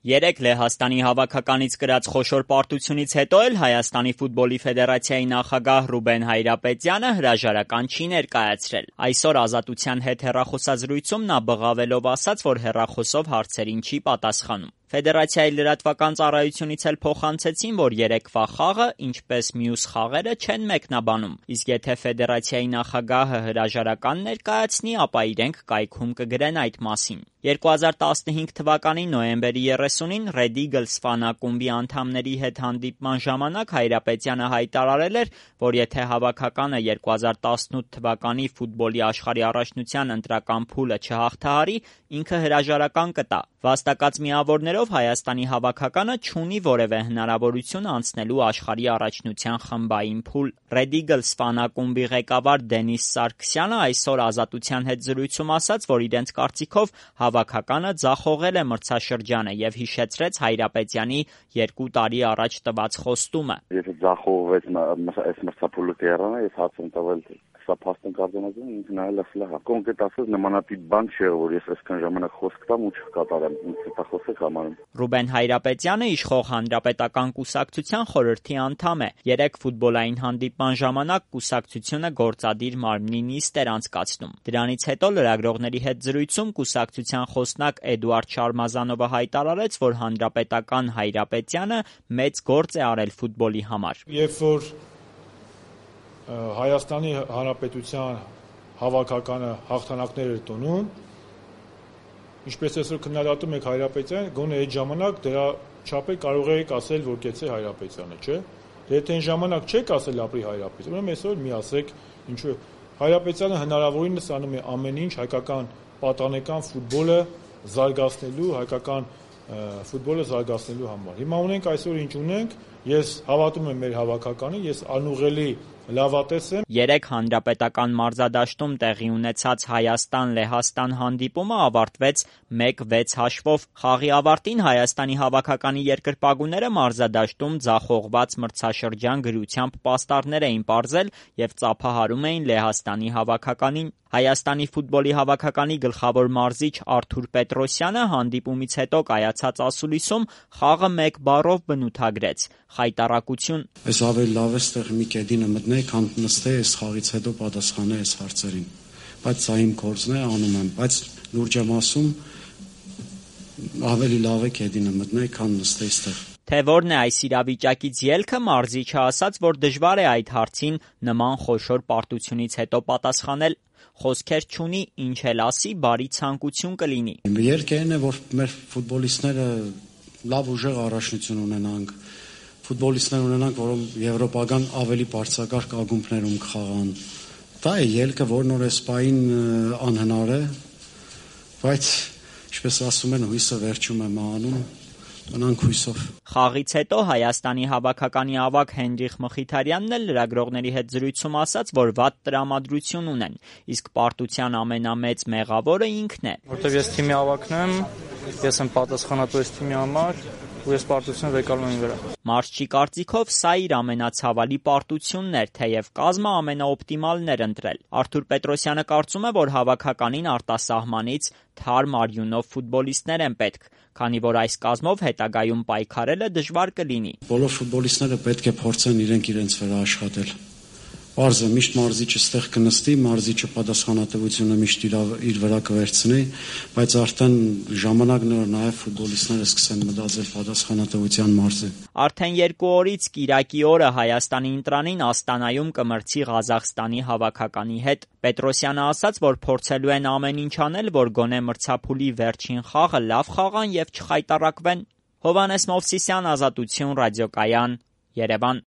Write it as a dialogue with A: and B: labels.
A: Երեկ Լեհաստանի հավաքականից կրած խոշոր պարտությունից հետո էլ Հայաստանի ֆուտբոլի ֆեդերացիայի նախագահ Ռուբեն Հայրապետյանը հրաժարական չի ներկայացրել։ Այսօր Ազատության հետ հեռախոսազրույցում նա բղավելով ասաց, որ հեռախոսով հարցերին չի պատասխանում։ Ֆեդերացիայի լրատվական ծառայությունից էլ փոխանցեցին, որ երեկվա խաղը, ինչպես մյուս խաղերը, չեն մեկնաբանում, իսկ եթե ֆեդերացիայի նախագահը հրաժարական ներկայացնի, ապա իրենք կայքում կգրեն այդ մասին։ 2015 թվականի նոյեմբերի 30-ին Red Eagles ֆանակումբի անդամների հետ հանդիպման ժամանակ Հայրապետյանը հայտարարել էր, որ եթե հավաքականը 2018 թվականի ֆուտբոլի աշխարհի առաջնության ընտրական փուլը չհաղթահարի, ինքը հրաժարական կտա։ Վաստակած միավորներով Հայաստանի հավաքականը չունի որևէ հնարավորություն անցնելու աշխարհի առաջնության խմբային փուլ։ Red Eagles ֆանակումբի ղեկավար Դենիս Սարգսյանը այսօր Ազատության հետ զրույցում ասաց, որ իրենց կարծիքով հավաքականը ձախողել է մրցաշրջանը եւ հիշեցրեց Հայրապետյանի 2 տարի առաջ տված խոստումը։
B: Եթե ձախողվեց այս մրցափուլը կերանը, ես հաց եմ տվել սա փաստն կարձանագրում ինքն նայել ասել հա կոնկրետ ասած նմանատիպ բան չէ որ ես այսքան ժամանակ խոսք տամ ու չկատարեմ ինձ դա խոսեք համարում։
A: Ռուբեն Հայրապետյանը իշխող Հանրապետական կուսակցության խորհրդի անդամ է։ Երեք ֆուտբոլային հանդիպման ժամանակ կուսակցությունը գործադիր մարմնի նիստ էր անցկացնում։ Դրանից հետո լրագրողների հետ զրույցում կուսակցության խոսնակ Էդուարդ Շարմազանովը հայտարարեց, որ Հանրապետական Հայրապետյանը մեծ գործ է արել ֆուտբոլի համար։
C: Երբ որ Հայաստանի Հանրապետության հավաքականը հաղթանակներ էր տոնում, ինչպես այսօր քննադատում եք Հայրապետյանը, գոնե այդ ժամանակ դրա չափը կարող եք ասել, որ կեցե Հայրապետյանը, չէ՞։ Եթե այն ժամանակ չեք ասել ապրի Հայրապետյանը, ուրեմն այսօր մի ասեք, ինչու Հայրապետյանը հնարավորինս անում է ամեն ինչ հայկական պատանեկան ֆուտբոլը զարգացնելու, հայկական ֆուտբոլը զարգացնելու համար։ Հիմա ունենք այսօր ինչ ունենք, ես հավատում եմ մեր հավաքականին, ես անուղղելի լավատես եմ։
A: Երեք Հանրապետական մարզադաշտում տեղի ունեցած Հայաստան-Լեհաստան հանդիպումը ավարտվեց 1-6 հաշվով։ Խաղի ավարտին Հայաստանի հավաքականի երկրպագուները մարզադաշտում ձախողված մրցաշրջան գրությամբ պաստառներ էին պարզել եւ ծափահարում էին Լեհաստանի հավաքականին։ Հայաստանի ֆուտբոլի հավաքականի գլխավոր մարզիչ Արթուր Պետրոսյանը հանդիպումից հետո կայացած ասուլիսում խաղը 1 բառով բնութագրեց՝ խայտառակություն։
D: Այս ավելի լավ է ստեղ մի կեդինը մտնե, քան նստե այս խաղից հետո պատասխանել այս հարցերին։ Բայց սա իմ գործն է, անում եմ, բայց լուրջ եմ ասում, ավելի լավ է կեդինը մտնե, քան նստե այստեղ։
A: Թե որն է այս իրավիճակից ելքը, մարզիչը ասաց, որ դժվար է այդ հարցին նման խոշոր պարտությունից հետո պատասխանել։ Խոսքեր չունի, ինչ էլ ասի, բարի ցանկություն կլինի։
D: Երկերն է, որ մեր ֆուտբոլիստները լավ ուժեղ առաջնություն ունենանք, ֆուտբոլիստներ ունենանք, որոնք եվրոպական ավելի բարձրակարգ ակումբներում կխաղան։ Դա է ելքը, որ նոր էսպային անհնար է, բայց ինչպես ասում են, հույսը վերջում է մահանում։ Մնանք հույսով։
A: Խաղից հետո Հայաստանի հավաքականի ավագ Հենրիխ Մխիթարյանն էլ լրագրողների հետ զրույցում ասաց, որ վատ տրամադրություն ունեն, իսկ պարտության ամենամեծ մեղավորը ինքն է։
E: Որտեւ ես թիմի ավագն եմ, ես եմ պատասխանատու այս թիմի համար, ու ես պարտությունը վեկալում եմ վրա։
A: Մարզչի կարծիքով սա իր ամենացավալի պարտությունն էր, թեև կազմը ամենաօպտիմալն էր ընտրել։ Արթուր Պետրոսյանը կարծում է, որ հավաքականին արտասահմանից թարմ արյունով ֆուտբոլիստներ են պետք, քանի որ այս կազմով հետագայում պայքարելը դժվար կլինի։
D: Բոլոր ֆուտբոլիստները պետք է փորձեն իրենց վրա աշխատել։ Պարզ է, միշտ մարզիչը ստեղ կնստի, մարզիչը պատասխանատվությունը միշտ իր վրա կվերցնի, բայց արդեն ժամանակն է, որ նաև ֆուտբոլիստները սկսեն մտածել պատասխանատվության մասին։
A: Արդեն 2 օրից Կիրակի օրը Հայաստանի ընտրանին Աստանայում կմրցի Ղազախստանի հավաքականի հետ։ Պետրոսյանը ասաց, որ փորձելու են ամեն ինչ անել, որ գոնե մրցափուլի վերջին խաղը լավ խաղան եւ չխայտառակվեն։ Հովհաննես Մովսիսյան, Ազատություն, ռադիոկայան, Երևան։